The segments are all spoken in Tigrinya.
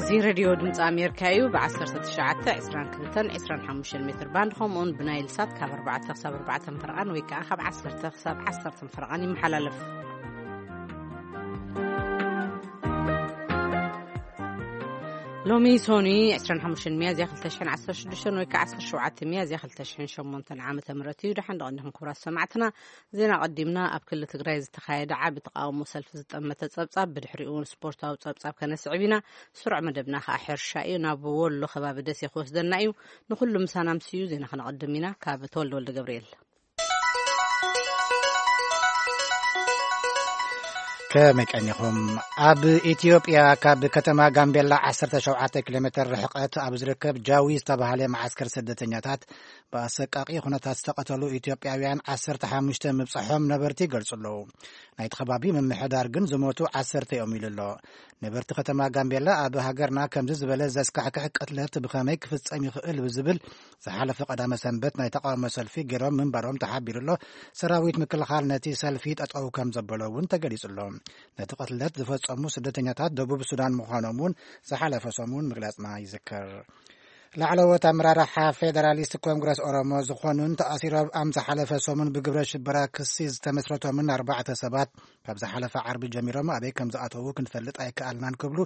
እዚ ሬድዮ ድምፂ ኣሜሪካ እዩ። ብ19፣ 22፣ 25 ሜትር ባንድ፣ ከምኡውን ብናይል ሳት ካብ ኣርባዕተ ክሳብ ኣርባዕተ ፈረቓን ወይ ከዓ ካብ ዓሰርተ ክሳብ ዓሰርተ ፈረቓን ይመሓላለፍ። ሎሚ ሶኒ 25 ሚያዝያ 2016 ወይ ከዓ 17 ሚያዝያ 2008 ዓመተ ምህረት እዩ። ደሓን ደቐንኹም ክቡራት ሰማዕትና። ዜና ቀዲምና። ኣብ ክልል ትግራይ ዝተኻየደ ዓቢ ተቃውሞ ሰልፊ ዝጠመተ ጸብጻብ፣ ብድሕሪኡ እውን ስፖርታዊ ጸብጻብ ከነስዕብ ኢና። ስሩዕ መደብና ከኣ ሕርሻ እዩ። ናብ ወሎ ከባቢ ደሴ ክወስደና እዩ። ንኹሉ ምሳና ምስዩ ዜና ከነቐድም ኢና። ካብ ተወልደ ወልደ ገብርኤል። ከመይ ቀኒኹም? ኣብ ኢትዮጵያ ካብ ከተማ ጋምቤላ 17 ኪሎ ሜትር ርሕቀት ኣብ ዝርከብ ጃዊ ዝተባህለ መዓስከር ስደተኛታት ብኣሰቃቂ ኩነታት ዝተቐተሉ ኢትዮጵያውያን 15 ምብጻሖም ነበርቲ ይገልጹ ኣለዉ። ናይቲ ከባቢ ምምሕዳር ግን ዝሞቱ ዓሰርተ እዮም ኢሉ ኣሎ። ነበርቲ ከተማ ጋምቤላ፣ ኣብ ሃገርና ከምዚ ዝበለ ዘስካሕክሕ ቅትለት ብኸመይ ክፍጸም ይኽእል ብዝብል ዝሓለፈ ቀዳመ ሰንበት ናይ ተቃውሞ ሰልፊ ገይሮም ምንባሮም ተሓቢሩ ኣሎ። ሰራዊት ምክልኻል ነቲ ሰልፊ ጠጠው ከም ዘበሎ እውን ተገሊጹ ኣሎ። ነቲ ቅትለት ዝፈጸሙ ስደተኛታት ደቡብ ሱዳን ምዃኖም እውን ዝሓለፈ ሰሙን ምግላጽና ይዝከር። ላዕለዎት ኣመራርሓ ፌደራሊስት ኮንግረስ ኦሮሞ ዝኾኑን ተኣሲሮም ኣብ ዝሓለፈ ሰሙን ብግብረ ሽበራ ክሲ ዝተመስረቶምን ኣርባዕተ ሰባት ካብ ዝሓለፈ ዓርቢ ጀሚሮም ኣበይ ከም ዝኣተዉ ክንፈልጥ ኣይከኣልናን ክብሉ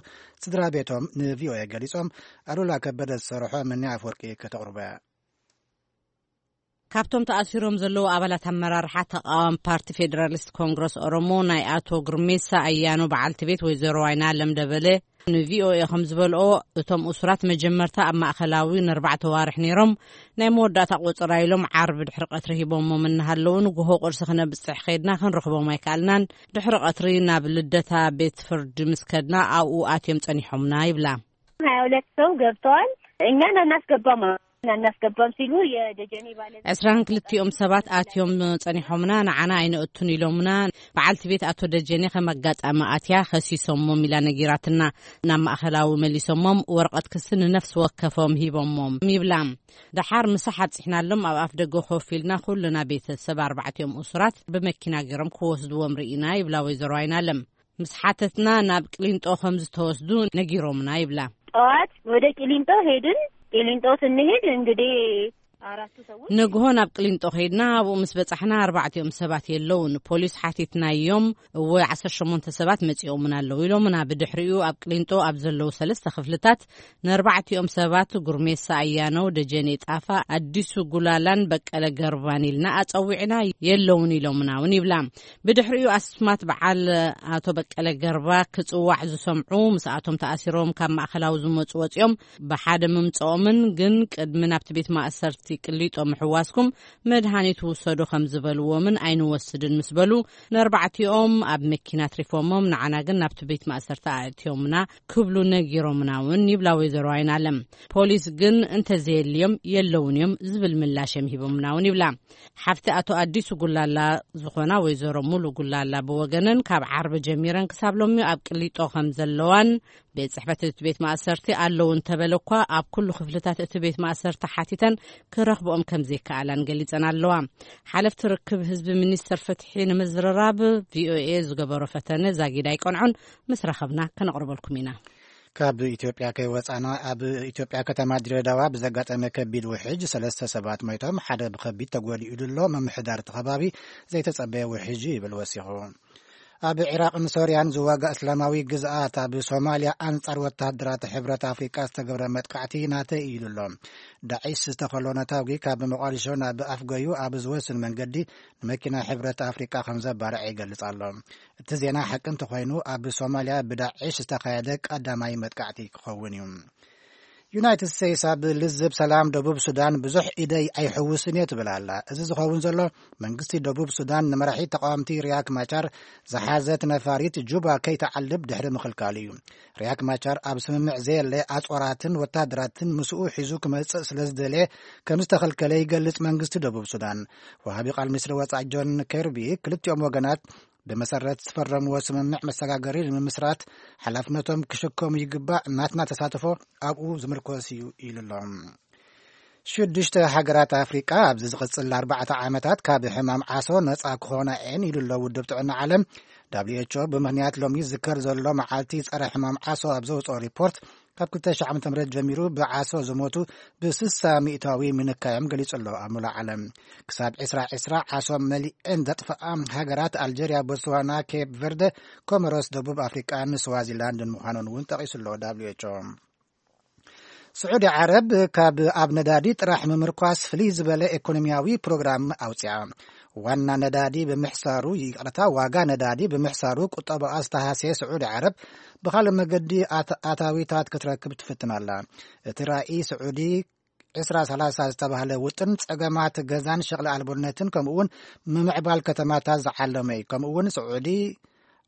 ስድራ ቤቶም ንቪኦኤ ገሊጾም። ኣሉላ ከበደ ዝሰርሖ ምኒ ኣፍወርቂ ከተቕርቦ እያ። ካብቶም ተኣሲሮም ዘለዉ ኣባላት ኣመራርሓ ተቃዋሚ ፓርቲ ፌደራሊስት ኮንግረስ ኦሮሞ ናይ ኣቶ ግርሜሳ ኣያኖ በዓልቲ ቤት ወይዘሮ ዋይና ለምደበለ ንቪኦኤ ከም ዝበልኦ፣ እቶም እሱራት መጀመርታ ኣብ ማእከላዊ ንኣርባዕተ ዋርሕ ነይሮም። ናይ መወዳእታ ቆጸራ ኢሎም ዓርቢ ድሕሪ ቀትሪ ሂቦሞም እናሃለዉ፣ ንግሆ ቁርሲ ክነብጽሕ ከይድና ክንረኽቦም ኣይከኣልናን። ድሕሪ ቀትሪ ናብ ልደታ ቤት ፍርዲ ምስ ከድና ኣብኡ ኣትዮም ጸኒሖምና ይብላ። 22 ሰው ገብተዋል። እኛን አናስገባም፣ አናስገባም ሲሉ የደጀኔ ባለ 22ኦም ሰባት ኣትዮም ጸኒሖምና፣ ንዓና ኣይነእቱን ኢሎምና። በዓልቲ ቤት ኣቶ ደጀኔ ከም ኣጋጣሚ ኣትያ ከሲሶሞም ኢላ ነጊራትና። ናብ ማእከላዊ መሊሶሞም፣ ወረቐት ክሲ ንነፍሲ ወከፎም ሂቦሞም ይብላ። ደሓር ምሳሕ ኣብጺሕናሎም፣ ኣብ ኣፍ ደገ ኮፍ ኢልና ኩልና ቤተሰብ ኣርባዕቲኦም እሱራት ብመኪና ገይሮም ክወስድዎም ርኢና ይብላ ወይዘሮ ኣይናለም። ምስ ሓተትና ናብ ቅሊንጦ ከም ዝተወስዱ ነጊሮምና ይብላ። ጠዋት ወደ ቂሊንጦ ሄድን። ቂሊንጦ ስንሄድ እንግዲህ አራቱ ሰዎች ንግሆ ናብ ቅሊንጦ ከይድና፣ ኣብኡ ምስ በጻሕና ኣርባዕቲኦም ሰባት የለውን። ፖሊስ ሓቲትናዮም፣ እወ 18 ሰባት መጺኦምና ኣለዉ ኢሎምና። ብድሕሪኡ ኣብ ቅሊንጦ ኣብ ዘለዉ ሰለስተ ክፍልታት ንኣርባዕቲኦም ሰባት፣ ጉርሜሳ ኣያነው፣ ደጀኔ ጣፋ፣ ኣዲሱ ጉላላን በቀለ ገርባን ኢልና ኣጸዊዕና፣ የለውን ኢሎምና እውን ይብላ። ብድሕሪኡ ኣስማት በዓል ኣቶ በቀለ ገርባ ክጽዋዕ ዝሰምዑ፣ ምስኣቶም ተኣሲሮም ካብ ማእከላዊ ዝመጹ ወጺኦም ብሓደ ምምጽኦምን ግን ቅድሚ ናብቲ ቤት ማእሰርቲ ቅሊጦ ምሕዋስኩም መድሃኒት ውሰዱ ከም ዝበልዎምን ኣይንወስድን ምስ በሉ፣ ንኣርባዕቲኦም ኣብ መኪና ኣትሪፎሞም፣ ንዓና ግን ናብቲ ቤት ማእሰርቲ ኣእትዮምና ክብሉ ነጊሮምና እውን ይብላ ወይዘሮ ኣይናለም። ፖሊስ ግን እንተዘየልዮም የለውን እዮም ዝብል ምላሽ እዮም ሂቦምና እውን ይብላ። ሓፍቲ ኣቶ ኣዲሱ ጉላላ ዝኾና ወይዘሮ ሙሉ ጉላላ ብወገነን፣ ካብ ዓርቢ ጀሚረን ክሳብ ሎሚ ኣብ ቅሊጦ ከም ዘለዋን ቤት ጽሕፈት እቲ ቤት ማእሰርቲ ኣለዉ እንተበለ እኳ፣ ኣብ ኩሉ ክፍልታት እቲ ቤት ማእሰርቲ ሓቲተን ክረኽብኦም ከም ዘይከኣላን ገሊጸን ኣለዋ። ሓለፍቲ ርክብ ህዝቢ ሚኒስተር ፍትሒ ንምዝርራብ ቪኦኤ ዝገበሮ ፈተነ ዛጊድ ኣይቀንዖን። ምስ ረኸብና ከነቕርበልኩም ኢና። ካብ ኢትዮጵያ ከይወጻና፣ ኣብ ኢትዮጵያ ከተማ ድሬዳዋ ብዘጋጠመ ከቢድ ውሕጅ ሰለስተ ሰባት ሞይቶም፣ ሓደ ብኸቢድ ተጎዲኡ ኣሎ። ምምሕዳር እቲ ከባቢ ዘይተጸበየ ውሕጅ ይብል ወሲኹ። ኣብ ዒራቕን ሶርያን ዝዋጋእ እስላማዊ ግዝኣት ኣብ ሶማልያ ኣንጻር ወተሃደራት ሕብረት ኣፍሪቃ ዝተገብረ መጥቃዕቲ ናተይ እዩ ኢሉ ኣሎ። ዳዒሽ ዝተኸሎ ነታጒ ካብ መቋዲሾ ናብ ኣፍጎዩ ኣብ ዝወስድ መንገዲ ንመኪና ሕብረት ኣፍሪቃ ከም ዘባርዐ ይገልጽ ኣሎ። እቲ ዜና ሓቂ እንተኾይኑ፣ ኣብ ሶማልያ ብዳዒሽ ዝተኻየደ ቀዳማይ መጥቃዕቲ ክኸውን እዩ። ዩናይትድ ስቴትስ ኣብ ልዝብ ሰላም ደቡብ ሱዳን ብዙሕ ኢደይ ኣይሕውስን እየ ትብል ኣላ። እዚ ዝኸውን ዘሎ መንግስቲ ደቡብ ሱዳን ንመራሒ ተቃወምቲ ሪያክ ማቻር ዝሓዘት ነፋሪት ጁባ ከይተዓልብ ድሕሪ ምኽልካሉ እዩ። ሪያክ ማቻር ኣብ ስምምዕ ዘየለ ኣጽዋራትን ወታደራትን ምስኡ ሒዙ ክመጽእ ስለ ዝደለየ ከም ዝተኸልከለ ይገልጽ መንግስቲ ደቡብ ሱዳን። ወሃቢ ቃል ሚኒስትሪ ወጻኢ ጆን ኬርቢ ክልቲኦም ወገናት ብመሰረት ዝፈረምዎ ስምምዕ መሰጋገሪ ንምምስራት ሓላፍነቶም ክሽከሙ ይግባእ፣ ናትና ተሳትፎ ኣብኡ ዝምርኮስ እዩ ኢሉ ኣሎ። ሽዱሽተ ሃገራት ኣፍሪቃ ኣብዚ ዝቕጽል ኣርባዕተ ዓመታት ካብ ሕማም ዓሶ ነጻ ክኾና እየን ኢሉ ኣሎ ውድብ ጥዕና ዓለም። ደብሊው ኤች ኦ ብምኽንያት ሎሚ ዝዝከር ዘሎ መዓልቲ ጸረ ሕማም ዓሶ ኣብ ዘውጽኦ ሪፖርት፣ ካብ ክልተ ሺሕ ዓመተ ምህረት ጀሚሩ ብዓሶ ዝሞቱ ብ60 ሚእታዊ ምንካዮም ገሊጹ ኣሎ። ኣብ ሙሉእ ዓለም ክሳብ ዕስራ ዕስራ ዓሶ መሊአን ዘጥፍኣ ሃገራት ኣልጀርያ፣ ቦትስዋና፣ ኬፕ ቨርደ፣ ኮሞሮስ፣ ደቡብ ኣፍሪቃን ስዋዚላንድን ምዃኑን እውን ጠቒሱ ኣሎ ደብሊው ኤች ኦ። ስዑዲ ዓረብ ካብ ኣብ ነዳዲ ጥራሕ ምምርኳስ ፍልይ ዝበለ ኢኮኖሚያዊ ፕሮግራም ኣውፅኣ። ዋና ነዳዲ ብምሕሳሩ፣ ይቕረታ፣ ዋጋ ነዳዲ ብምሕሳሩ ቁጠባኣ ዝተሃስየ ስዑዲ ዓረብ ብኻልእ መገዲ ኣት-፣ ኣታዊታት ክትረክብ ትፍትን ኣላ። እቲ ራእይ ስዑዲ ዕስራ ሰላሳ ዝተባህለ ውጥን ጸገማት ገዛን ሸቕሊ ኣልቦነትን ከምኡ እውን ምምዕባል ከተማታት ዝዓለመ እዩ። ከምኡ እውን ስዑዲ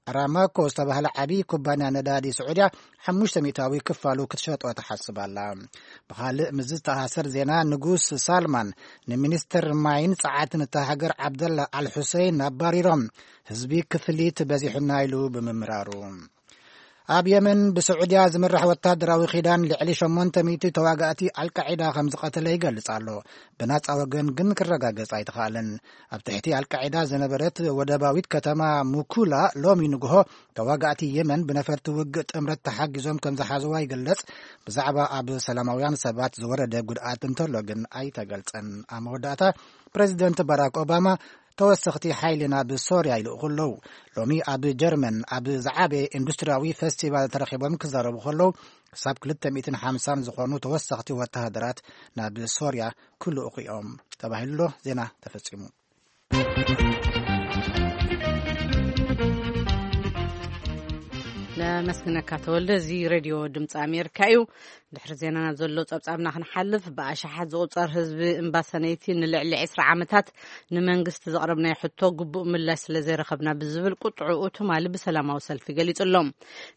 ኣራማኮ ዝተባህለ ዓቢ ኩባንያ ነዳዲ ስዑድያ ሓሙሽተ ሚእታዊ ክፋሉ ክትሸጦ ትሓስብ ኣላ። ብኻልእ ምስ ዝተኣሳሰር ዜና፣ ንጉስ ሳልማን ንሚኒስተር ማይን ጸዓትን እታ ሃገር ዓብደላ ኣልሑሰይን ኣባሪሮም፣ ህዝቢ ክፍሊት በዚሑና ኢሉ ብምምራሩ። ኣብ የመን ብስዑድያ ዝምራሕ ወታደራዊ ኪዳን ልዕሊ ሸሞንተ ሚእቲ ተዋጋእቲ ኣልቃዒዳ ከም ዝቐተለ ይገልጽ ኣሎ። ብናጻ ወገን ግን ክረጋገጽ ኣይተኻእለን። ኣብ ትሕቲ ኣልቃዒዳ ዝነበረት ወደባዊት ከተማ ሙኩላ ሎሚ ንግሆ ተዋጋእቲ የመን ብነፈርቲ ውግእ ጥምረት ተሓጊዞም ከም ዝሓዝዋ ይግለጽ። ብዛዕባ ኣብ ሰላማውያን ሰባት ዝወረደ ጉድኣት እንተሎ ግን ኣይተገልጸን። ኣብ መወዳእታ ፕሬዚደንት ባራክ ኦባማ ተወሰኽቲ ሓይሊ ናብ ሶርያ ይልእኹ ኣለዉ። ሎሚ ኣብ ጀርመን ኣብ ዝዓበየ ኢንዱስትሪያዊ ፌስቲቫል ተረኺቦም ክዛረቡ ከለዉ፣ ክሳብ ክልተ ሚእትን ሓምሳን ዝኾኑ ተወሰኽቲ ወተሃደራት ናብ ሶርያ ክልእኹ እዮም ተባሂሉ ኣሎ። ዜና ተፈጺሙ። ነመስግነካ ተወልደ። እዚ ሬድዮ ድምፂ ኣሜሪካ እዩ። ድሕሪ ዜናና ዘሎ ጸብጻብና ክንሓልፍ፣ ብኣሽሓት ዝቑጸር ህዝቢ እምባሰነይቲ ንልዕሊ ዕስራ ዓመታት ንመንግስቲ ዘቕረብናዮ ሕቶ ግቡእ ምላሽ ስለ ዘይረኸብና ብዝብል ቁጥዕኡ ትማሊ ብሰላማዊ ሰልፊ ገሊጹ ኣሎ።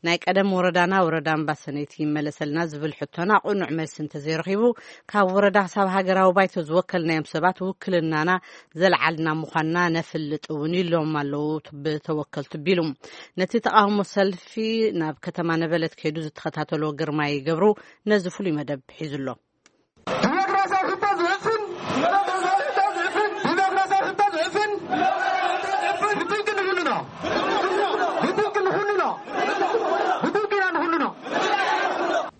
ናይ ቀደም ወረዳና ወረዳ እምባሰነይቲ ይመለሰልና ዝብል ሕቶና ቅኑዕ መልሲ እንተዘይረኺቡ፣ ካብ ወረዳ ክሳብ ሃገራዊ ባይቶ ዝወከልናዮም ሰባት ውክልናና ዘልዓልና ምዃንና ነፍልጥ እውን ኢሎም ኣለዉ ብተወከልቱ ቢሉ። ነቲ ተቓውሞ ሰልፊ ናብ ከተማ ነበለት ከይዱ ዝተኸታተሎ ግርማይ ገብሩ ነዚ ፍሉይ መደብ ሒዙ ኣሎ። ዲሞክራሲያዊ ሕቶ ዝዕፍን፣ ዲሞክራሲያዊ ሕቶ ዝዕፍን፣ ዲሞክራሲያዊ ሕቶ ዝዕፍን፣ ብትንቂ ንኹሉ ነው። ብትንቂ ንኹሉ ነው። ብትንቂ ኢና ንኹሉ ነው።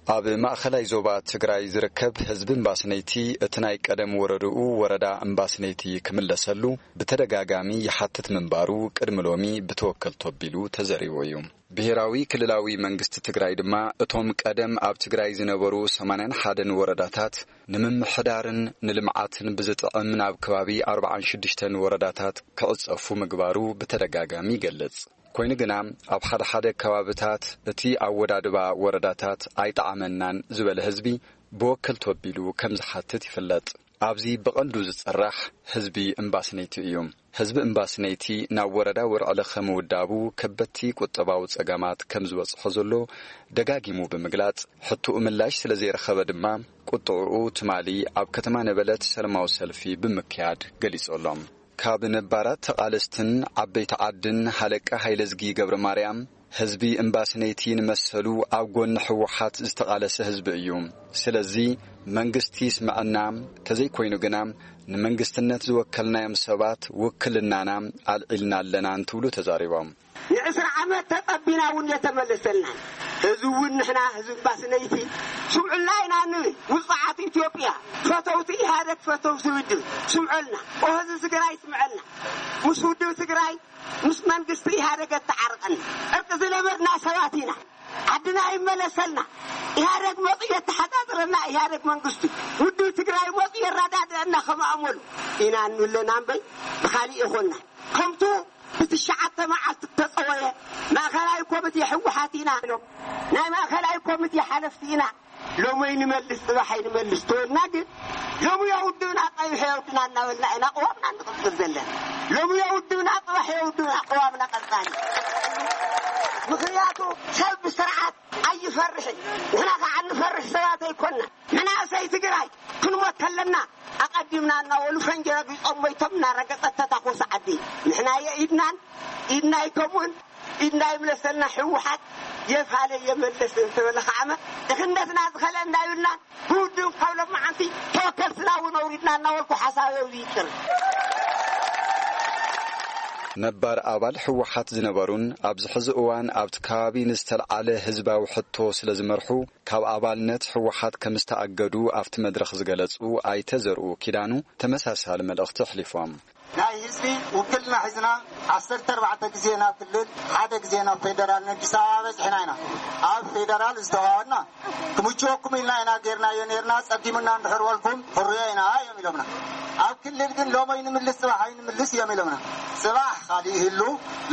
ኣብ ማእኸላይ ዞባ ትግራይ ዝርከብ ህዝቢ እምባስነይቲ እቲ ናይ ቀደም ወረድኡ ወረዳ እምባስነይቲ ክምለሰሉ ብተደጋጋሚ ይሓትት ምንባሩ ቅድሚ ሎሚ ብተወከልቱ ኣቢሉ ተዘሪቡ እዩ። ብሄራዊ ክልላዊ መንግስቲ ትግራይ ድማ እቶም ቀደም ኣብ ትግራይ ዝነበሩ ሰማንያን ሓደን ወረዳታት ንምምሕዳርን ንልምዓትን ብዝጥዕም ናብ ከባቢ ኣርብዓን ሽዱሽተን ወረዳታት ክዕጸፉ ምግባሩ ብተደጋጋሚ ይገልጽ። ኮይኑ ግና ኣብ ሓደ ሓደ ከባብታት እቲ ኣወዳድባ ወረዳታት ኣይጠዓመናን ዝበለ ህዝቢ ብወከልቱ ኣቢሉ ከም ዝሓትት ይፍለጥ። ኣብዚ ብቐንዱ ዝጽራሕ ህዝቢ እምባስነይቲ እዩ። ህዝቢ እምባስነይቲ ናብ ወረዳ ወርዕለ ከምውዳቡ ከበድቲ ቁጠባዊ ጸገማት ከም ዝበጽሖ ዘሎ ደጋጊሙ ብምግላጽ፣ ሕቶኡ ምላሽ ስለ ዘይረኸበ ድማ ቁጥዕኡ ትማሊ ኣብ ከተማ ነበለት ሰላማዊ ሰልፊ ብምክያድ ገሊጹ ኣሎ። ካብ ነባራት ተቓለስትን ዓበይቲ ዓድን ሃለቃ ሃይለዝጊ ገብረ ማርያም፣ ህዝቢ እምባስነይቲ ንመሰሉ ኣብ ጎኒ ህወሓት ዝተቓለሰ ህዝቢ እዩ። ስለዚ መንግስቲ ይስምዐና፣ ተዘይኮይኑ ግና ንመንግስትነት ዝወከልናዮም ሰባት ውክልናና ኣልዒልና ኣለና እንትብሉ ተዛሪቦም። ንዕስራ ዓመት ተጸቢና እውን የተመለሰልናን። ህዝቢ እውን ንሕና ህዝቢ እምባስነይቲ ስምዑልና ኢና ንብል። ውጹዓት ኢትዮጵያ፣ ፈተውቲ ኢህኣደግ፣ ፈተውቲ ውድብ ስምዑልና። ኦ ህዝቢ ትግራይ ስምዐልና። ምስ ውድብ ትግራይ ምስ መንግስቲ ኢህኣደግ ኣተዓርቀና። ዕርቂ ዝነበርና ሰባት ኢና። ዓድና ይመለሰልና። ኢህኣደግ መፁ የተሓፃፅረና። ኢህኣደግ መንግስቱ ውድብ ትግራይ መፁ የረዳድአና። ከም ኣእመሉ ኢና እንብለና እምበይ ብካሊእ ይኾንና። ከምቱ ብትሽዓተ መዓልቲ ተፀወየ ማእኸላይ ኮሚቴ ህወሓት ኢና ኢሎም። ናይ ማእኸላይ ኮሚቴ ሓለፍቲ ኢና። ሎሚ ይንመልስ፣ ጽባሕ ይንመልስ ተወልና ግን፣ ሎሚ የውድብና፣ ጸቢሑ የውድና እናበልና ኢና ቅዋምና እንቕጽል ዘለና። ሎሚ የውድብና፣ ጽባሕ የውድብና፣ ቅዋምና ቀጻሊ። ምኽንያቱ ሰብ ብስርዓት ኣይፈርሕን፣ ንሕና ከዓ እንፈርሕ ሰባት ኣይኮንና። መናእሰይ ትግራይ ክንሞት ከለና ኣቐዲምና እናበሉ ፈንጂ ረጊጾም ሞይቶም እናረገጸት ተታኮሰ ዓዲ። ንሕና የኢድናን ኢድና ኣይከምኡን። ኢድና ይምለሰልና፣ ህወሓት የፋለ የመለስ እንተበለ ከዓመ ድኽነትና ዝኸለ እንዳይብልና ብውድብ ካብ ሎማዓንቲ ተወከልትና እውን ኣውሪድና እናበልኩ ሓሳብ ኣብዚ ይጭር። ነባር ኣባል ህወሓት ዝነበሩን ኣብዚ ሕዚ እዋን ኣብቲ ከባቢ ንዝተልዓለ ህዝባዊ ሕቶ ስለ ዝመርሑ ካብ ኣባልነት ህወሓት ከም ዝተኣገዱ ኣብቲ መድረኽ ዝገለጹ ኣይተ ዘርኡ ኪዳኑ ተመሳሳሊ መልእኽቲ ኣሕሊፎም። ናይ ህዝቢ ውክልና ሒዝና ዓሰርተ ኣርባዕተ ግዜ ናብ ክልል፣ ሓደ ግዜ ናብ ፌደራል፣ ንኣዲስ ኣበባ በጺሕና ኢና። ኣብ ፌደራል ዝተዋወና ክምችወኩም ኢልና ኢና ጌርናዮ ኔርና፣ ጸጊሙና እንድሕር በልኩም ሕሩያ ኢና እዮም ኢሎምና። ኣብ ክልል ግን ሎሚ ኣይንምልስ ጽባሕ ኣይንምልስ እዮም ኢሎምና። ጽባሕ ካልእ ይህሉ፣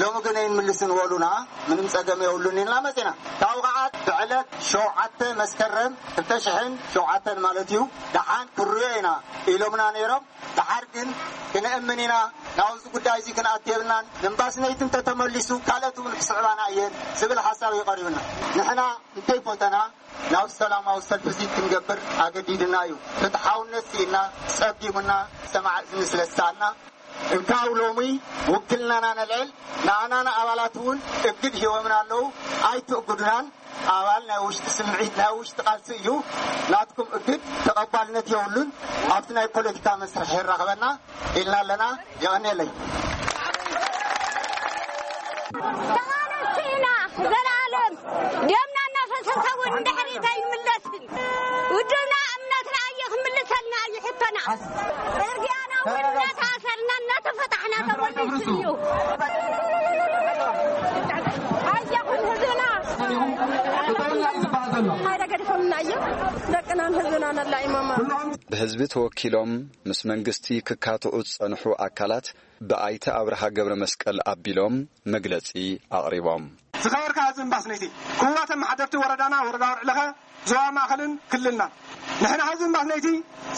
ሎሚ ግን ኣይንምልስን በሉና፣ ምንም ጸገም የብሉን ኢልና መጺና። ካብኡ ከዓ ብዕለት ሸውዓተ መስከረም ክልተ ሽሕን ሸውዓተን ማለት እዩ፣ ደሓን ክርዮ ኢና ኢሎምና ነይሮም። ደሓር ግን ክንእምን ኢና፣ ናብዚ ጉዳይ እዚ ክንኣቱ የብልናን፣ ንእምባስነይቲ እንተተመሊሱ ካልኦት እውን ክስዕባና እየን ዝብል ሓሳብ እዩ ቀሪቡና። ንሕና እንተይፈተና ናብ ሰላማዊ ሰልፊ እዚ ክንገብር ኣገዲድና እዩ። ፍትሓውነት ስኢና፣ ጸጊሙና፣ ሰማዕ እዝኒ ስለ ዝሰኣና፣ እንካብ ሎሚ ውክልናና ነልዕል። ንኣና ንኣባላት እውን እግድ ሂቦምና ኣለዉ። ኣይትእግዱናን። ኣባል ናይ ውሽጢ ስምዒት፣ ናይ ውሽጢ ቃልሲ እዩ። ናትኩም እግድ ተቐባልነት የብሉን። ኣብቲ ናይ ፖለቲካ መስርሕ የራኽበና ኢልና ኣለና። የቐንየለይ። ተቓለስቲ ኢና ዘላለም። ደምና እናፈሰሰ እውን ንድሕሪት ኣይንምለስን። ውድብና እምነትና እዩ ክምልሰልና እዩ ሕቶና። ጽርግያና እውን እናተኣሰርና እናተፈታሕና ተመሊሱ እዩ። ኣየኹም ህዝብና። ሓደ ገዲፎምና እዮም። ደቅናን ህዝብናን ኣላኢሞማ። ብህዝቢ ተወኪሎም ምስ መንግስቲ ክካትዑ ዝጸንሑ ኣካላት ብኣይተ ኣብርሃ ገብረ መስቀል ኣቢሎም መግለጺ ኣቕሪቦም። ዝኸበርካ ህዝቢ እምባስነይቲ፣ ክቡራት ኣመሓደርቲ ወረዳና፣ ወረዳ ወርዕለኸ፣ ዞባ ማእኸልን ክልልናን፣ ንሕና ህዝቢ እምባስነይቲ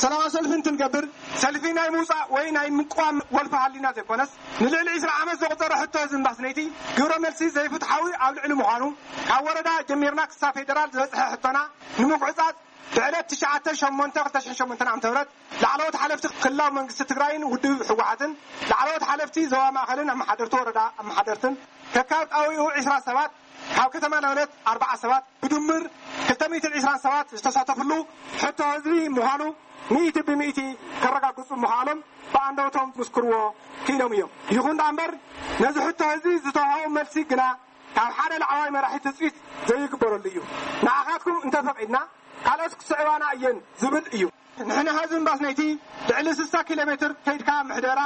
ሰላማዊ ሰልፊ እንትንገብር፣ ሰልፊ ናይ ምውፃእ ወይ ናይ ምቅዋም ወልፊ ሃሊና ዘይኮነስ፣ ንልዕሊ ዕስራ ዓመት ዘቑፀረ ሕቶ ህዝቢ እምባስነይቲ ግብረ መልሲ ዘይፍትሓዊ ኣብ ልዕሊ ምዃኑ፣ ካብ ወረዳ ጀሚርና ክሳብ ፌደራል ዝበፅሐ ሕቶና ንምጉዕፃፅ፣ ብዕለት ትሽዓተ ሸሞንተ ክልተ ሽሕን ሸሞንተን ዓመተ ምህረት ላዕለዎት ሓለፍቲ ክልላዊ መንግስቲ ትግራይን ውድብ ህወሓትን፣ ላዕለዎት ሓለፍቲ ዞባ ማእኸልን ኣመሓደርቲ ወረዳ ኣመሓደርትን፣ ከካብ ጣውይኡ ዕስራ ሰባት፣ ካብ ከተማ ላውለት ኣርባዓ ሰባት፣ ብድምር ክልተ ሚእትን ዕስራን ሰባት ዝተሳተፍሉ ሕቶ ህዝቢ ምዃኑ ሚእቲ ብሚእቲ ከረጋግፁ ምኽኣሎም ብኣንደበቶም ክምስክርዎ ክኢሎም እዮም። ይኹን ደኣ እምበር፣ ነዚ ሕቶ ህዝቢ ዝተዋህቦ መልሲ ግና ካብ ሓደ ላዕለዋይ መራሒ ትፅቢት ዘይግበረሉ እዩ። ንዓኻትኩም እንተፈቒድና ካልኦት ክስዕባና እየን ዝብል እዩ። ንሕና ህዝቢ እምባስነይቲ ልዕሊ ስሳ ኪሎ ሜትር ከይድካ ምሕደራ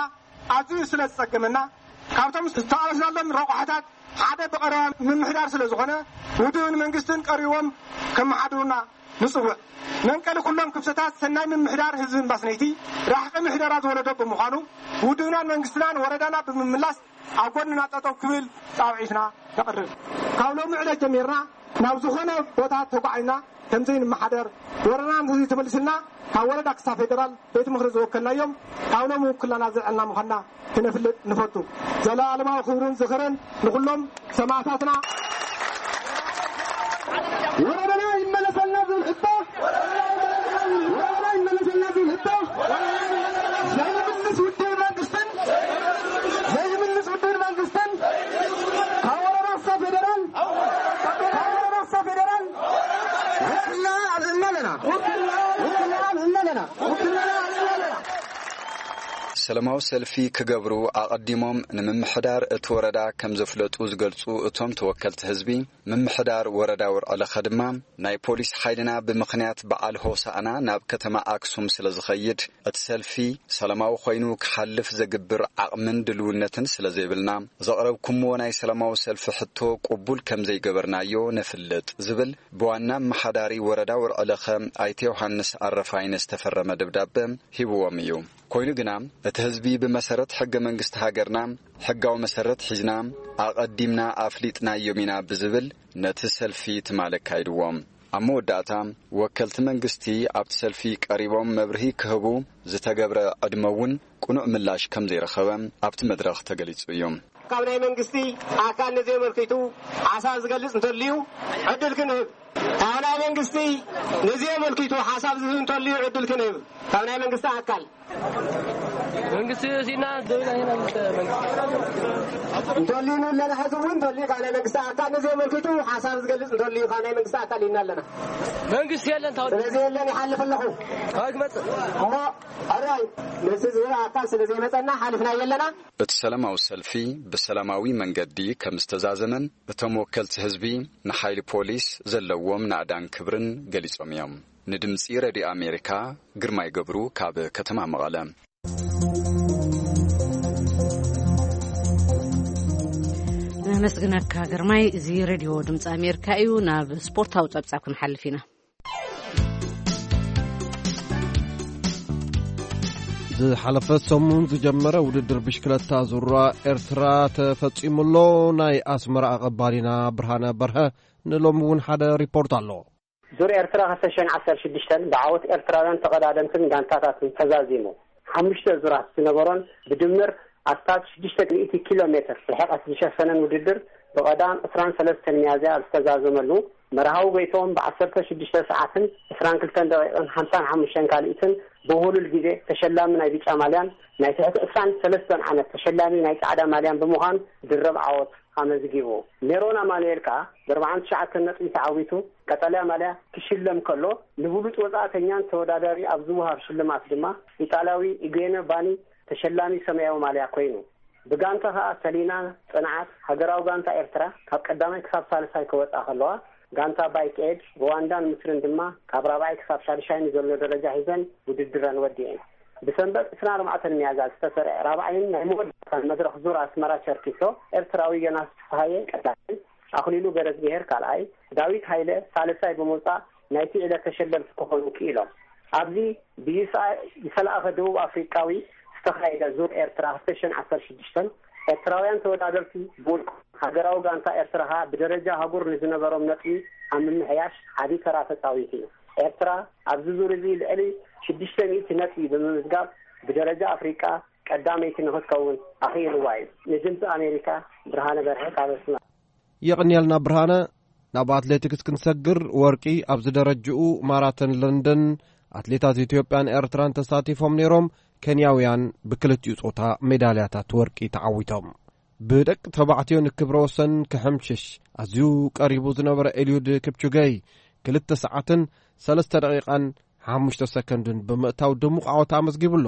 ኣዝዩ ስለ ዝጸገመና፣ ካብቶም ዝተቓለስናሎም ረቋሕታት ሓደ ብቐረባ ምምሕዳር ስለ ዝኾነ፣ ውድብን መንግስትን ቀሪቦም ከመሓድሩና ንጽውዕ። መንቀሊ ኩሎም ክፍተታት ሰናይ ምምሕዳር ህዝቢ እምባስነይቲ ራሕቂ ምሕደራ ዝወለዶ ብምዃኑ፣ ውድብናን መንግስትናን ወረዳና ብምምላስ ኣብ ጎንና ጠጠው ክብል ጻውዒትና ነቕርብ። ካብ ሎሚ ዕለት ጀሚርና ናብ ዝኾነ ቦታ ተጓዒና ከምዘይንመሓደር፣ ወረዳና እንተዘይተመሊስልና ካብ ወረዳ ክሳብ ፌደራል ቤት ምኽሪ ዝወከልናዮም ካብ ሎሚ ውክልናና ዘልዐልና ምዃንና ክነፍልጥ ንፈቱ። ዘለኣለማዊ ክብርን ዝኽርን ንኹሎም ሰማእታትና። ወረዳና ይመለሰልና ዝብል ሕቶ፣ ወረዳና ይመለሰልና ዝብል ሕቶ ዘይምልስ ውድብ መንግስትን፣ ዘይምልስ ውድብ መንግስትን ካብ ወረዳ እስካብ ፌደራል፣ ካብ ወረዳ እስካብ ፌደራል ውክልና ኣልዕልና ኣለና። ውክልና ኣልዕልና ኣለና። ውክልና ኣልዕልና ኣለና። ሰላማዊ ሰልፊ ክገብሩ ኣቐዲሞም ንምምሕዳር እቲ ወረዳ ከም ዘፍለጡ ዝገልጹ እቶም ተወከልቲ ህዝቢ፣ ምምሕዳር ወረዳ ወርዕለኸ ድማ፣ ናይ ፖሊስ ሓይልና ብምኽንያት በዓል ሆሳዕና ናብ ከተማ ኣክሱም ስለ ዝኸይድ፣ እቲ ሰልፊ ሰላማዊ ኮይኑ ክሓልፍ ዘግብር ዓቕምን ድልውነትን ስለ ዘይብልና፣ ዘቕረብኩምዎ ናይ ሰላማዊ ሰልፊ ሕቶ ቅቡል ከም ዘይገበርናዮ ነፍልጥ ዝብል ብዋና ኣመሓዳሪ ወረዳ ወርዕለኸ ኣይተ ዮሃንስ ኣረፋይነ ዝተፈረመ ደብዳበ ሂብዎም እዩ። ኮይኑ ግና፣ እቲ ህዝቢ ብመሰረት ሕገ መንግስቲ ሃገርና፣ ሕጋዊ መሰረት ሒዝና፣ ኣቐዲምና ኣፍሊጥናዮም ኢና ብዝብል ነቲ ሰልፊ ትማል ኣካይድዎ። ኣብ መወዳእታ፣ ወከልቲ መንግስቲ ኣብቲ ሰልፊ ቀሪቦም መብርሂ ክህቡ ዝተገብረ ዕድመ እውን ቅኑዕ ምላሽ ከም ዘይረኸበ ኣብቲ መድረኽ ተገሊጹ እዩ። ካብ ናይ መንግስቲ ኣካል ነዚ ኣመልኪቱ ሓሳብ ዝገልጽ እንተልዩ ዕድል ክንህብ፣ ካብ ናይ መንግስቲ ነዚ ኣመልኪቱ ሓሳብ ዝህብ እንተልዩ ዕድል ክንህብ፣ ካብ ናይ መንግስቲ ኣካል መንግስቲ ሲና ደውላ ኢና ምስ መንግስቲ እንተልዩና ኣለና። ሕዚ እውን እንተልዩ ካብ ናይ መንግስቲ ኣካል ነዚ የመልክቱ ሓሳብ ዝገልጽ እንተልዩ ካብ ናይ መንግስቲ ኣካል ኢና ኣለና። መንግስቲ የለን ታው ስለዚ የለን ይሓልፍ ኣለኹ። ታው ክመጽእ እሞ ኣራይ ነዚ ዝበለ ኣካል ስለ ዘይመጸና ሓሊፍና የለና። እቲ ሰላማዊ ሰልፊ ብሰላማዊ መንገዲ ከም ዝተዛዘመን እቶም ወከልቲ ህዝቢ ንሓይሊ ፖሊስ ዘለዎም ናእዳን ክብርን ገሊጾም እዮም። ንድምጺ ረድዮ ኣሜሪካ ግርማይ ገብሩ ካብ ከተማ መቐለ። ነመስግነካ ግርማይ። እዚ ሬድዮ ድምፂ ኣሜሪካ እዩ። ናብ ስፖርታዊ ፀብፃብ ክንሓልፍ ኢና። ዝሓለፈ ሰሙን ዝጀመረ ውድድር ብሽክለታ ዙራ ኤርትራ ተፈጺሙሎ። ናይ ኣስመራ ኣቐባሊና ብርሃነ በርሀ ንሎሚ እውን ሓደ ሪፖርት ኣሎ። ዙር ኤርትራ ክልተ ሽሕን ዓሰርተ ሽዱሽተን ብዓወት ኤርትራውያን ተቐዳደምትን ጋንታታትን ተዛዚሙ። ሓሙሽተ ዙራት ዝነበሮን ብድምር ኣስታት ሽዱሽተ ሚእቲ ኪሎ ሜትር ርሕቀት ዝሸፈነን ውድድር ብቐዳም ዕስራን ሰለስተን ሚያዝያ ኣብ ዝተዛዘመሉ፣ መርሃዊ ጎይትኦም ብ ዓሰርተ ሽዱሽተ ሰዓትን ዕስራን ክልተን ደቂቕን ሓምሳን ሓሙሽተን ካልኢትን ብውህሉል ግዜ ተሸላሚ ናይ ብጫ ማልያን ናይ ትሕቲ ዕስራን ሰለስተን ዓመት ተሸላሚ ናይ ጻዕዳ ማልያን ብምዃን ድርብ ዓወት ኣመዝጊቡ። ሜሮን ኣማኑኤል ከኣ ብ ኣርባዓን ትሽዓተን ነጥቢ ተዓዊቱ ቀጠልያ ማልያ ክሽለም ከሎ፣ ንብሉጽ ወጻእተኛን ተወዳዳሪ ኣብ ዝወሃብ ሽልማት ድማ ኢጣልያዊ ኢጌነ ባኒ ተሸላሚ ሰማያዊ ማልያ ኮይኑ። ብጋንታ ከኣ ሰሊና ጽንዓት፣ ሃገራዊ ጋንታ ኤርትራ፣ ካብ ቀዳማይ ክሳብ ሳልሳይ ክወጻ ከለዋ፣ ጋንታ ባይክ ኤድ፣ ሩዋንዳን ምስርን ድማ ካብ ራብዓይ ክሳብ ሻድሻይ ንዘሎ ደረጃ ሒዘን ውድድረን ወዲኤን። ብሰንበት ዕስራን ኣርባዕተን ሚያዝያ ዝተሰርዐ ራብዓይን ናይ መወዳእታን መድረኽ ዙር ኣስመራ ቸርኪሶ፣ ኤርትራዊ ዮናስ ፍስሃየ ቀዳማይ፣ ኣኽሊሉ ገረዝግሄር ካልኣይ፣ ዳዊት ሃይለ ሳልሳይ ብምውጻእ ናይቲ ዕለት ተሸለምቲ ክኾኑ ክኢሎም። ኣብዚ ብዩስኣይ ዝተላእኸ ደቡብ ኣፍሪቃዊ ዝተኻየደ ዙር ኤርትራ ክልተ ሽሕን ዓሰርተ ሽዱሽተን፣ ኤርትራውያን ተወዳደርቲ ብውልቆም፣ ሃገራዊ ጋንታ ኤርትራ ከኣ ብደረጃ ኣህጉር ንዝነበሮም ነጥቢ ኣብ ምምሕያሽ ዓቢ ተራ ተጻዊቱ እዩ። ኤርትራ ኣብዚ ዙር እዚ ልዕሊ ሽዱሽተ ሚእቲ ነጥቢ ብምምዝጋብ ብደረጃ ኣፍሪቃ ቀዳመይቲ ንኽትከውን ኣኽኢልዋ እዩ። ንድምፂ ኣሜሪካ ብርሃነ በርሀ ካብ ኣስመራ። የቕንየልና ብርሃነ። ናብ ኣትሌቲክስ ክንሰግር፣ ወርቂ ኣብዚ ደረጅኡ ማራቶን ለንደን ኣትሌታት ኢትዮጵያን ኤርትራን ተሳቲፎም ነይሮም። ኬንያውያን ብክልቲኡ ጾታ ሜዳልያታት ወርቂ ተዓዊቶም። ብደቂ ተባዕትዮ ንክብረ ወሰን ክሕምሽሽ ኣዝዩ ቀሪቡ ዝነበረ ኤልዩድ ክፕቹገይ ክልተ ሰዓትን ሰለስተ ደቂቓን ሓሙሽተ ሰከንድን ብምእታው ድሙቕ ዓወት ኣመዝጊቡ ኣሎ።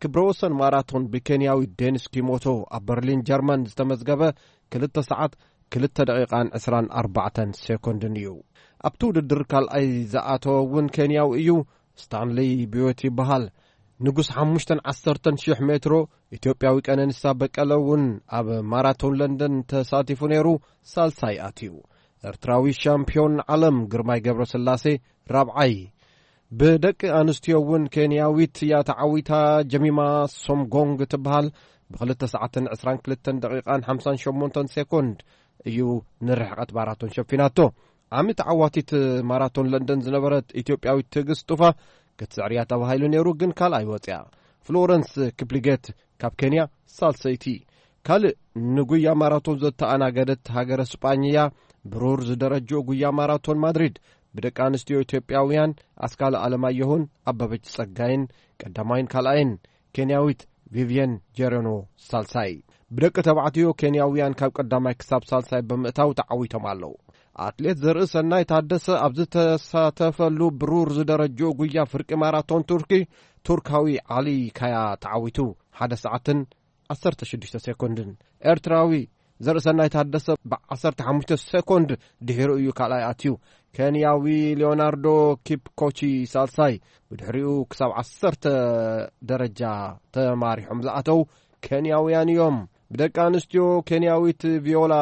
ክብረ ወሰን ማራቶን ብኬንያዊ ዴኒስ ኪሞቶ ኣብ በርሊን ጀርመን ዝተመዝገበ ክልተ ሰዓት ክልተ ደቂቓን ዕስራን ኣርባዕተን ሴኮንድን እዩ። ኣብቲ ውድድር ካልኣይ ዝኣተወ እውን ኬንያዊ እዩ። ስታንለይ ቢዮት ይበሃል። ንጉስ ሓሙሽተን ዓሰርተን ሽሕ ሜትሮ ኢትዮጵያዊ ቀነኒሳ በቀለ እውን ኣብ ማራቶን ለንደን ተሳቲፉ ነይሩ፣ ሳልሳይ ኣትዩ። ኤርትራዊ ሻምፒዮን ዓለም ግርማይ ገብረስላሴ ራብዓይ። ብደቂ ኣንስትዮ እውን ኬንያዊት እያ ተዓዊታ። ጀሚማ ሶምጎንግ ትበሃል። ብክልተ ሰዓትን ዕስራን ክልተን ደቂቓን ሓምሳን ሸሞንተን ሴኮንድ እዩ ንርሕቀት ማራቶን ሸፊናቶ። ዓሚ ተዓዋቲት ማራቶን ለንደን ዝነበረት ኢትዮጵያዊት ትዕግስት ጡፋ ክትስዕርያ ተባሂሉ ነይሩ፣ ግን ካልኣይ ወፅያ። ፍሎረንስ ክፕሊጌት ካብ ኬንያ ሳልሰይቲ። ካልእ ንጉያ ማራቶን ዘተኣናገደት ሃገረ ስጳኝ እያ። ብሩር ዝደረጅኡ ጉያ ማራቶን ማድሪድ ብደቂ ኣንስትዮ ኢትዮጵያውያን ኣስካለ ኣለማየሁን ኣበበች ጸጋይን ቀዳማይን ካልኣይን፣ ኬንያዊት ቪቪየን ጀረኖ ሳልሳይ። ብደቂ ተባዕትዮ ኬንያውያን ካብ ቀዳማይ ክሳብ ሳልሳይ ብምእታው ተዓዊቶም ኣለዉ። ኣትሌት ዘርእሰናይ ታደሰ ኣብ ዝተሳተፈሉ ብሩር ዝደረጅኡ ጉያ ፍርቂ ማራቶን ቱርኪ፣ ቱርካዊ ዓሊ ካያ ተዓዊቱ። ሓደ ሰዓትን ዓሰርተ ሽዱሽተ ሴኮንድን። ኤርትራዊ ዘርእሰናይ ታደሰ ብ ዓሰርተ ሓሙሽተ ሴኮንድ ድሒሩ እዩ ካልኣይ ኣትዩ። ኬንያዊ ሊዮናርዶ ኪፕኮቺ ሳልሳይ። ብድሕሪኡ ክሳብ ዓሰርተ ደረጃ ተማሪሖም ዝኣተው ኬንያውያን እዮም። ብደቂ ኣንስትዮ ኬንያዊት ቪዮላ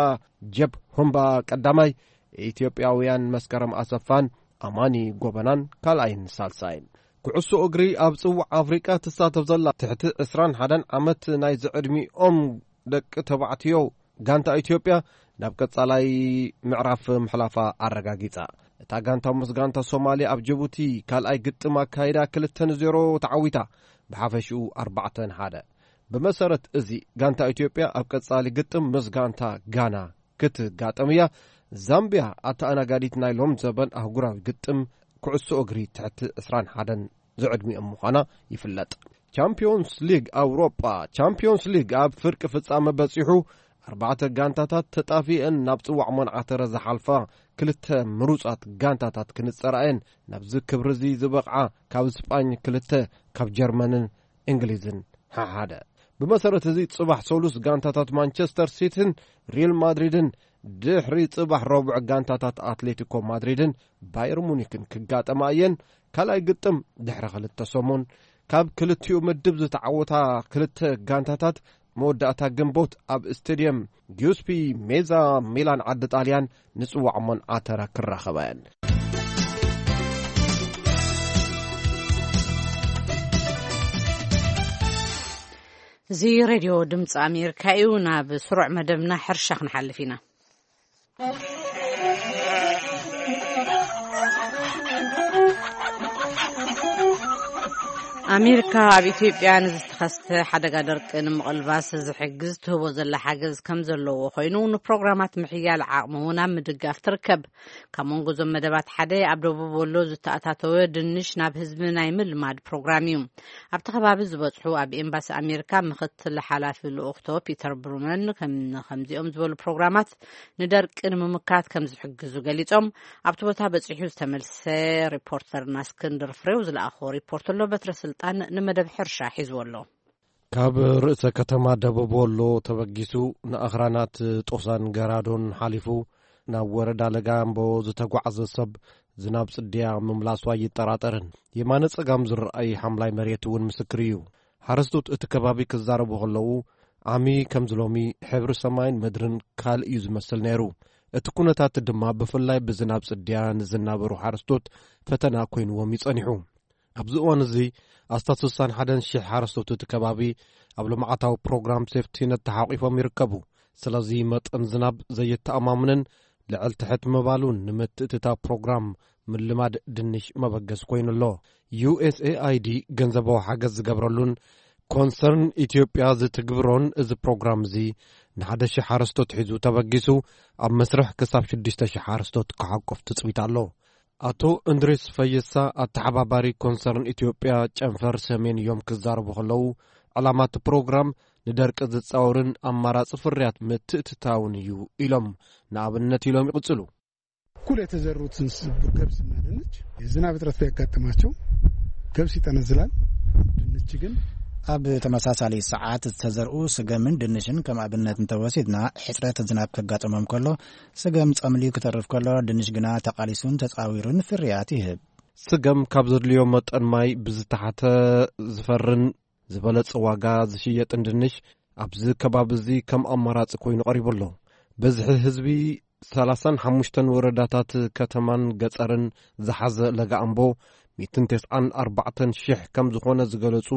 ጀፕ ሁምባ ቀዳማይ፣ ኢትዮጵያውያን መስከረም ኣሰፋን ኣማኒ ጎበናን ካልኣይን ሳልሳይን። ኩዕሶ እግሪ ኣብ ጽዋዕ ኣፍሪቃ ትሳተፍ ዘላ ትሕቲ ዕስራን ሓደን ዓመት ናይ ዝዕድሚኦም ደቂ ተባዕትዮ ጋንታ ኢትዮጵያ ናብ ቀጻላይ ምዕራፍ ምሕላፋ ኣረጋጊጻ። እታ ጋንታ ምስ ጋንታ ሶማልያ ኣብ ጅቡቲ ካልኣይ ግጥም ኣካይዳ ክልተ ንዜሮ ተዓዊታ፣ ብሓፈሽኡ ኣርባዕተ ንሓደ። ብመሰረት እዚ ጋንታ ኢትዮጵያ ኣብ ቀጻሊ ግጥም ምስ ጋንታ ጋና ክትጋጠም እያ። ዛምቢያ ኣተኣናጋዲት ናይ ሎም ዘበን ኣህጉራዊ ግጥም ኩዕሶ እግሪ ትሕቲ ዕስራን ሓደን ዝዕድሚኦም ምዃና ይፍለጥ። ቻምፒዮንስ ሊግ ኣውሮጳ። ቻምፒዮንስ ሊግ ኣብ ፍርቂ ፍጻመ በጺሑ፣ ኣርባዕተ ጋንታታት ተጣፊአን ናብ ጽዋዕ ሞንዓተረ ዝሓልፋ ክልተ ምሩጻት ጋንታታት ክንጸራ እየን። ናብዚ ክብሪ እዚ ዝበቕዓ ካብ ስጳኝ ክልተ፣ ካብ ጀርመንን እንግሊዝን ሓሓደ። ብመሰረት እዚ ጽባሕ ሰሉስ ጋንታታት ማንቸስተር ሲቲን ሪል ማድሪድን፣ ድሕሪ ጽባሕ ረቡዕ ጋንታታት ኣትሌቲኮ ማድሪድን ባየር ሙኒክን ክጋጠማ እየን። ካልኣይ ግጥም ድሕሪ ክልተ ሰሙን። ካብ ክልቲኡ ምድብ ዝተዓወታ ክልተ ጋንታታት መወዳእታ ግንቦት ኣብ ስቴድየም ጊዩስፒ ሜዛ ሚላን ዓዲ ጣልያን ንጽዋዕ ሞንዓተረ ክራኸባ እየን። እዚ ሬድዮ ድምፂ ኣሜሪካ እዩ። ናብ ስሩዕ መደብና ሕርሻ ክንሓልፍ ኢና። ኣሜሪካ ኣብ ኢትዮጵያ ንዝተኸስተ ሓደጋ ደርቂ ንምቕልባስ ዝሕግዝ ትህቦ ዘላ ሓገዝ ከም ዘለዎ ኮይኑ፣ ንፕሮግራማት ምሕያል ዓቕሚ እውን ኣብ ምድጋፍ ትርከብ። ካብ መንጎ እዞም መደባት ሓደ ኣብ ደቡብ ወሎ ዝተኣታተወ ድንሽ ናብ ህዝቢ ናይ ምልማድ ፕሮግራም እዩ። ኣብቲ ከባቢ ዝበጽሑ ኣብ ኤምባሲ ኣሜሪካ ምኽትል ሓላፊ ልኡኽቶ ፒተር ብሩመን ከም-፣ ከምዚኦም ዝበሉ ፕሮግራማት ንደርቂ ንምምካት ከም ዝሕግዙ ገሊጾም፣ ኣብቲ ቦታ በጺሑ ዝተመልሰ ሪፖርተርና እስክንድር ፍሬው ዝለኣኾ ሪፖርት ኣሎ። በትረ ስልጣን ንመደብ ሕርሻ ሒዝዎ ኣሎ። ካብ ርእሰ ከተማ ደቡብ ወሎ ተበጊሱ ንኣኽራናት ጦሳን ገራዶን ሓሊፉ ናብ ወረዳ ለጋምቦ ዝተጓዕዘ ሰብ፣ ዝናብ ጽድያ ምምላሱ ኣይጠራጠርን። የማነ ጸጋም ዝረኣይ ሓምላይ መሬት እውን ምስክር እዩ። ሓረስቶት እቲ ከባቢ ክዛረቡ ከለዉ፣ ዓሚ ከምዚ ሎሚ ሕብሪ ሰማይን ምድርን ካልእ እዩ ዝመስል ነይሩ። እቲ ኩነታት ድማ ብፍላይ ብዝናብ ጽድያ ንዝናበሩ ሓረስቶት ፈተና ኮይንዎም እዩ ጸኒሑ። ኣብዚ እዋን እዚ ኣስታት ስሳን ሓደን ሽሕ ሓረስቶት እቲ ከባቢ ኣብ ልምዓታዊ ፕሮግራም ሴፍቲነት ተሓቒፎም ይርከቡ። ስለዚ መጠን ዝናብ ዘየተኣማምንን ልዕል ትሕት ምባሉን ንምትእትታው ፕሮግራም ምልማድ ድንሽ መበገስ ኮይኑ ኣሎ። ዩ ኤስ ኤ ኣይ ዲ ገንዘባዊ ሓገዝ ዝገብረሉን ኮንሰርን ኢትዮጵያ ዝትግብሮን እዚ ፕሮግራም እዚ ንሓደ ሽሕ ሓረስቶት ሒዙ ተበጊሱ ኣብ መስርሕ ክሳብ ሽዱሽተ ሽሕ ሓረስቶት ክሓቁፍ ትጽቢት ኣሎ። ኣቶ እንድሪስ ፈይሳ ኣተሓባባሪ ኮንሰርን ኢትዮጵያ ጨንፈር ሰሜን እዮም ክዛረቡ ከለዉ፣ ዕላማ እቲ ፕሮግራም ንደርቂ ዝጻወርን ኣማራጺ ፍርያት ምትእትታውን እዩ ኢሎም። ንኣብነት ኢሎም ይቕጽሉ። እኩል የተዘሩትን ስ-፣ ገብስና ድንች ዝናብ እጥረት ቢያጋጥማቸው ገብስ ይጠነዝላል። ድንች ግን ኣብ ተመሳሳሊ ሰዓት ዝተዘርኡ ስገምን ድንሽን ከም ኣብነት እንተወሲድና፣ ሕጽረት ዝናብ ከጋጥሞም ከሎ፣ ስገም ጸምልዩ ክተርፍ ከሎ፣ ድንሽ ግና ተቓሊሱን ተጻዊሩን ፍርያት ይህብ። ስገም ካብ ዘድልዮ መጠን ማይ ብዝተሓተ ዝፈርን ዝበለጸ ዋጋ ዝሽየጥን ድንሽ ኣብዚ ከባቢ እዚ ከም ኣማራጺ ኮይኑ ቀሪቡ ኣሎ። ብዝሒ ህዝቢ ሰላሳን ሓሙሽተን ወረዳታት ከተማን ገጸርን ዝሓዘ ለጋ ኣምቦ ሚእትን ተስዓን ኣርባዕተን ሽሕ ከም ዝኾነ ዝገለጹ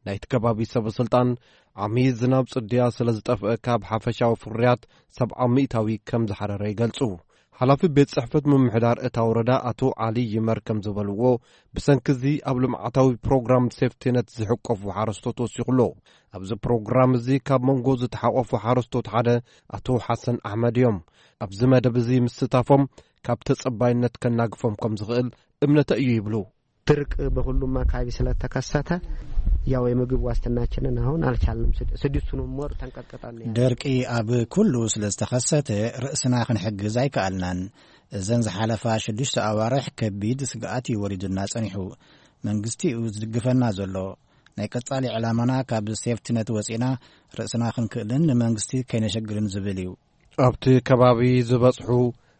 ናይቲ ከባቢ ሰበ ስልጣን፣ ዓሚ ዝናብ ጽድያ ስለ ዝጠፍአ ካብ ሓፈሻዊ ፍርያት ሰብዓ ሚእታዊ ከም ዝሓረረ ይገልጹ። ሓላፊ ቤት ጽሕፈት ምምሕዳር እታ ወረዳ ኣቶ ዓሊ ይመር ከም ዝበልዎ፣ ብሰንኪ እዚ ኣብ ልምዓታዊ ፕሮግራም ሴፍቲነት ዝሕቀፉ ሓረስቶት ወሲኹ ኣሎ። ኣብዚ ፕሮግራም እዚ ካብ መንጎ ዝተሓቆፉ ሓረስቶት ሓደ ኣቶ ሓሰን ኣሕመድ እዮም። ኣብዚ መደብ እዚ ምስታፎም ካብ ተጸባይነት ከናግፎም ከም ዝኽእል እምነተ እዩ ይብሉ። ድርቅ በሁሉም አካባቢ ስለተከሰተ ያው የምግብ ዋስትናችንን አሁን አልቻልንም። ስድ-፣ ስድስቱንም ወር ተንቀጥቅጠን ነው ያለ። ደርቂ ኣብ ኩሉ ስለ ዝተኸሰተ ርእስና ክንሕግዝ ኣይከኣልናን። እዘን ዝሓለፋ ሽዱሽተ ኣዋርሕ ከቢድ ስግኣት እዩ ወሪዱና ጸኒሑ። መንግስቲ እዩ ዝድግፈና ዘሎ። ናይ ቀጻሊ ዕላማና ካብ ሴፍቲነት ወጺእና ርእስና ክንክእልን ንመንግስቲ ከይነሸግርን ዝብል እዩ። ኣብቲ ከባቢ ዝበጽሑ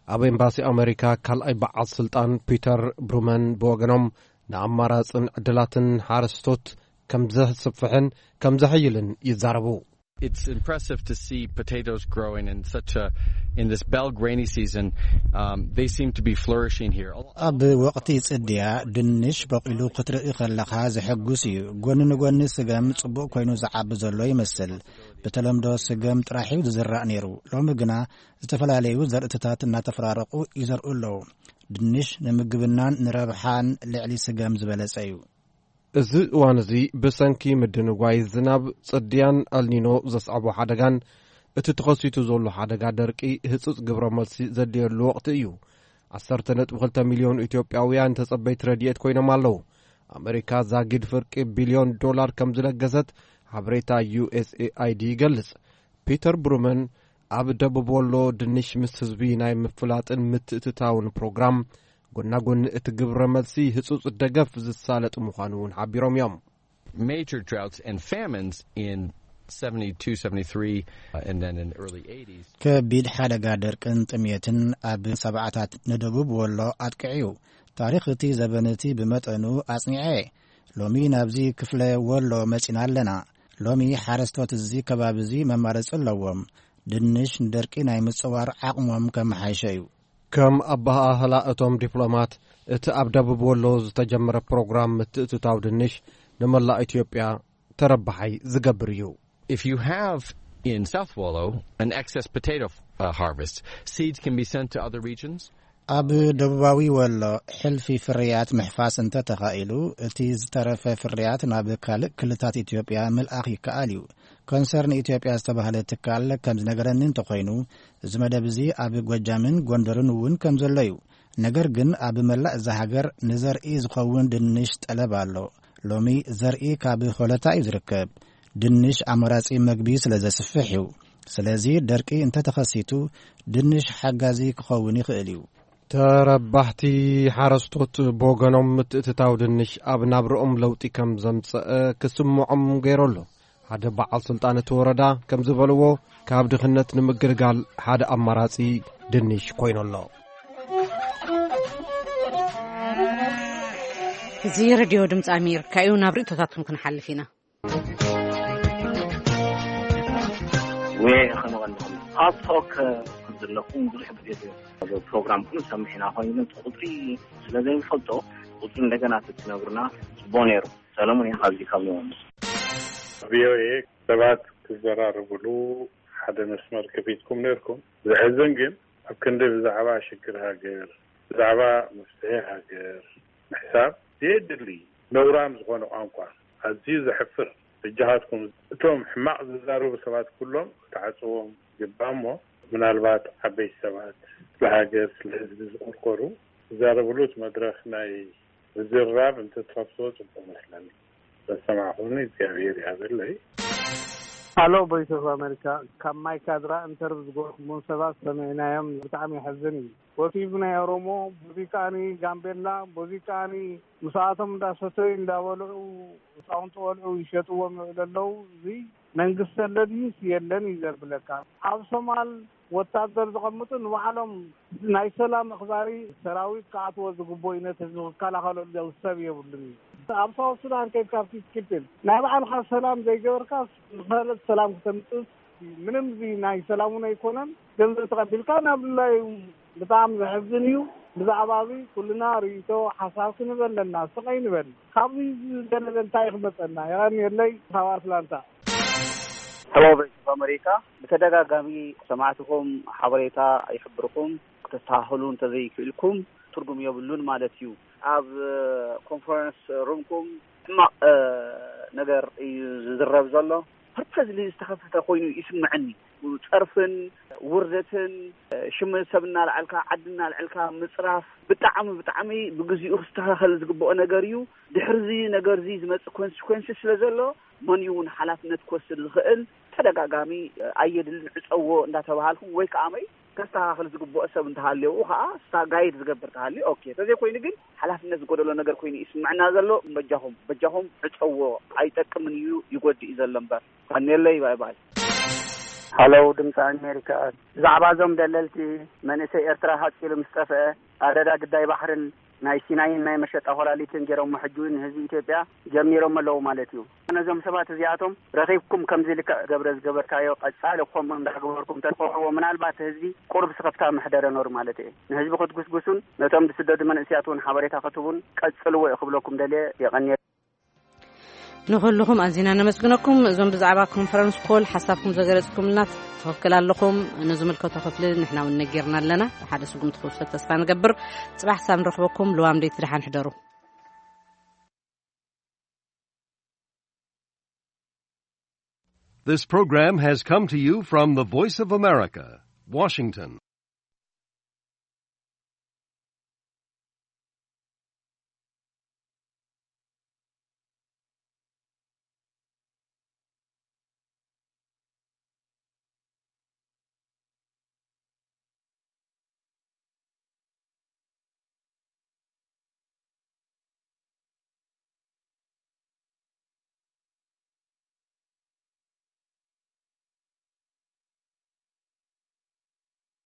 ኣብ ኤምባሲ ኣመሪካ ካልኣይ በዓል ስልጣን ፒተር ብሩመን ብወገኖም ንኣማራጽን ዕድላትን ሓረስቶት ከም ዘስፍሕን ከም ዘሐይልን ይዛረቡ። It's impressive to see potatoes growing in such a, in this Belg rainy season. Um, they seem to be flourishing here. ኣብ ወቕቲ ጽድያ ድንሽ በቂሉ ክትርኢ ከለኻ ዘሐጉስ እዩ። ጎኒ ንጎኒ ስገም ጽቡቕ ኮይኑ ዝዓቢ ዘሎ ይመስል። ብተለምዶ ስገም ጥራሕ እዩ ዝዝራእ ነይሩ። ሎሚ ግና ዝተፈላለዩ ዘርእትታት እናተፈራረቑ ይዘርኡ ኣለዉ። ድንሽ ንምግብናን ንረብሓን ልዕሊ ስገም ዝበለጸ እዩ። እዚ እዋን እዚ ብሰንኪ ምድንጓይ ዝናብ፣ ጽድያን ኣልኒኖ ዘስዓቦ ሓደጋን እቲ ተኸሲቱ ዘሎ ሓደጋ ደርቂ ህጹጽ ግብረ መልሲ ዘድልየሉ ወቕቲ እዩ። ዓሰርተ ነጥቢ ክልተ ሚልዮን ኢትዮጵያውያን ተጸበይቲ ረድኤት ኮይኖም ኣለዉ። ኣመሪካ ዛጊድ ፍርቂ ቢልዮን ዶላር ከም ዝለገሰት ሓበሬታ ዩ ኤስ ኤ ኣይ ዲ ይገልጽ። ፒተር ብሩመን ኣብ ደቡብ ወሎ ድንሽ ምስ ህዝቢ ናይ ምፍላጥን ምትእትታውን ፕሮግራም፣ ጎናጎኒ እቲ ግብረ መልሲ ህጹጽ ደገፍ ዝሳለጥ ምዃኑ እውን ሓቢሮም እዮም። Major droughts and famines in seventy-two, seventy-three, uh, and then in the early eighties. ከቢድ ሓደጋ ደርቅን ጥሜትን ኣብ ሰብዓታት ንደቡብ ወሎ ኣጥቅዕዩ። ታሪኽ እቲ ዘበን እቲ ብመጠኑ ኣጽኒዐ። ሎሚ ናብዚ ክፍለ ወሎ መጺና ኣለና። ሎሚ ሓረስቶት እዚ ከባቢ እዚ መማረጺ ኣለዎም። ድንሽ ንደርቂ ናይ ምጽዋር ዓቕሞም ከመሓይሸ እዩ። ከም ኣበሃህላ እቶም ዲፕሎማት፣ እቲ ኣብ ደቡብ ወሎ ዝተጀመረ ፕሮግራም ምትእትታው ድንሽ ንመላእ ኢትዮጵያ ተረባሓይ ዝገብር እዩ። If you have in South Wallow an excess potato uh, harvest, seeds can be sent to other regions. ኣብ ደቡባዊ ወሎ ሕልፊ ፍርያት ምሕፋስ እንተተኻኢሉ፣ እቲ ዝተረፈ ፍርያት ናብ ካልእ ክልታት ኢትዮጵያ ምልኣኽ ይከኣል እዩ። ኮንሰርን ኢትዮጵያ ዝተባህለ ትካል ከም ዝነገረኒ እንተኾይኑ፣ እዚ መደብ እዚ ኣብ ጎጃምን ጎንደርን እውን ከም ዘሎ እዩ። ነገር ግን ኣብ መላእ እዛ ሃገር ንዘርኢ ዝኸውን ድንሽ ጠለብ ኣሎ። ሎሚ ዘርኢ ካብ ሆለታ እዩ ዝርከብ። ድንሽ ኣማራጺ መግቢ ስለ ዘስፍሕ እዩ። ስለዚ ደርቂ እንተተኸሲቱ ድንሽ ሓጋዚ ክኸውን ይኽእል እዩ። ተረባሕቲ ሓረስቶት ብወገኖም፣ ምትእትታው ድንሽ ኣብ ናብርኦም ለውጢ ከም ዘምጸአ ክስምዖም ገይሩ ኣሎ። ሓደ በዓል ስልጣን እቲ ወረዳ ከም ዝበልዎ፣ ካብ ድኽነት ንምግልጋል ሓደ ኣማራጺ ድንሽ ኮይኑ ኣሎ። እዚ ሬድዮ ድምፂ ኣሜሪካ እዩ። ናብ ርእቶታትኩም ክንሓልፍ ኢና። ወይ ከመቐንኹም ኣብ ቶክ ዘለኹም ብዙሕ ግዜ ፕሮግራምኩም ሰምዒና ኮይኑ ቁፅሪ ስለ ዘይንፈልጦ ቁፅሪ እንደገና ትትነግሩና ጽቡቅ ነይሩ። ሰለሙን እየ ካብዚ ካብ ዮሃንስ። ቪኦኤ ሰባት ክዘራረብሉ ሓደ መስመር ከፊትኩም ነርኩም። ዘሕዝን ግን ኣብ ክንዲ ብዛዕባ ሽግር ሃገር፣ ብዛዕባ መፍትሒ ሃገር ምሕሳብ ዘየድሊ ነውራም ዝኾነ ቋንቋ፣ ኣዝዩ ዘሕፍር። በጃኻትኩም እቶም ሕማቕ ዝዛረቡ ሰባት ኩሎም ክትዓጽዎም ይግባእ እሞ፣ ምናልባት ዓበይቲ ሰባት ስለ ሃገር ስለ ህዝቢ ዝቆርቆሩ ዝዛረብሉት መድረኽ ናይ ምዝርራብ እንተትኸፍትዎ ጽቡቕ መስለኒ። ዘሰማዕኹኒ እግዚኣብሔር ይሃበለይ። ሃሎ ቮይስ ኦፍ ኣሜሪካ፣ ካብ ማይካድራ እንተርብ ዝገበርኩምዎም ሰባት ሰሚዕናዮም። ብጣዕሚ የሕዝን እዩ። ወቲቡ ናይ ኦሮሞ፣ በዚ ከኣኒ ጋምቤላ፣ በዚ ከኣኒ ምስኣቶም እንዳሰተዩ እንዳበልዑ ህፃውንቲ ቆልዑ ይሸጥዎም ይውዕሉ ኣለዉ። እዚ መንግስቲ ኣሎ ድዩስ የለን እዩ ዘብለካ። ኣብ ሶማል ወታደር ዘቐምጡ ንባዕሎም ናይ ሰላም ኣኽባሪ ሰራዊት ክኣትዎ ዝግብኦ እዩ፣ ነቲ ህዝቢ ክከላኸለሉ ሰብ የብሉን እዩ። ኣብ ሳውት ሱዳን ከይድካ ፒስ ኪፒንግ ናይ ባዕልኻ ሰላም ዘይገበርካ ንኻልእ ሰላም ክተምፅእ ምንም እዚ ናይ ሰላም እውን ኣይኮነን። ገንዘብ ተቐቢልካ ናብ ድላዩ ብጣዕሚ ዘሕዝን እዩ። ብዛዕባ እዚ ኩልና ርእይቶ ሓሳብ ክንህብ ኣለና። ስቕ ኣይንበል። ካብዚ ዝገለለ እንታይ ክመፀና? የቐንየለይ ካብ ኣትላንታ። ሄሎ ቮይስ ኦፍ ኣሜሪካ፣ ብተደጋጋሚ ሰማዕትኹም ሓበሬታ ይሕብርኹም፣ ክተስተኻኽሉ እንተዘይክእልኩም ትርጉም የብሉን ማለት እዩ። ኣብ ኮንፈረንስ ሩምኩም ሕማቕ ነገር እዩ ዝዝረብ ዘሎ። ፐርፐዝሊ ዝተኸፈተ ኮይኑ ይስምዐኒ። ጸርፍን ውርደትን፣ ሽም ሰብ እናልዓልካ፣ ዓዲ እናልዓልካ ምጽራፍ ብጣዕሚ ብጣዕሚ ብግዚኡ ክስተኻኸል ዝግብኦ ነገር እዩ። ድሕርዚ ነገርዚ ዝመጽእ ኮንሲኮንስ ስለ ዘሎ መን እዩ እውን ሓላፍነት ክወስድ ዝኽእል? ተደጋጋሚ ኣየድልን ዕጸዎ እንዳተባሃልኩም ወይ ከዓ መይ ከስተኻኽል ዝግብኦ ሰብ እንተሃልየው ከዓ ስታ ጋይድ ዝገብር ተሃልዩ ኦኬ። ተዘይኮይኑ ግን ሓላፍነት ዝጎደሎ ነገር ኮይኑ ይስምዕና ዘሎ። በጃኹም በጃኹም ዕጸዎ። ኣይጠቅምን እዩ፣ ይጎድእ እዩ ዘሎ እምበር። ቀንየለይ። ባይ ባይ። ሃለው ድምፂ ኣሜሪካ፣ ብዛዕባ እዞም ደለልቲ መንእሰይ ኤርትራ ሃፂሉ ምስ ጠፍአ ኣደዳ ግዳይ ባሕርን ናይ ሲናይን ናይ መሸጣ ኮላሊትን ገይሮሞ ሕጂ እውን ንህዝቢ ኢትዮጵያ ጀሚሮም ኣለዉ ማለት እዩ። ነዞም ሰባት እዚኣቶም ረኺብኩም ከምዚ ልክዕ ገብረ ዝገበርካዮ ቀፃሊ ከምኡ እንዳገበርኩም ተንፈዕዎ ምናልባት ህዝቢ ቁሩብ ስኽፍታ ምሕደረ ነሩ ማለት እየ። ንህዝቢ ክትጉስጉሱን ነቶም ዝስደዱ መንእስያት እውን ሓበሬታ ክትህቡን ቀፅልዎ እየ ክብለኩም ደልየ። የቐንየ። ንኹልኹም ኣዚና ነመስግነኩም። እዞም ብዛዕባ ኮንፈረንስ ኮል ሓሳብኩም ዘገለጽኩምልና ትኽክል ኣለኹም። ንዝምልከቶ ክፍሊ ንሕና እውን ነጊርና ኣለና። ብሓደ ስጉምቲ ክውሰድ ተስፋ ንገብር። ጽባሕ ክሳብ ንረኽበኩም ልዋም ደይቲ ደሓን ሕደሩ። This program has come to you from the Voice of America, Washington.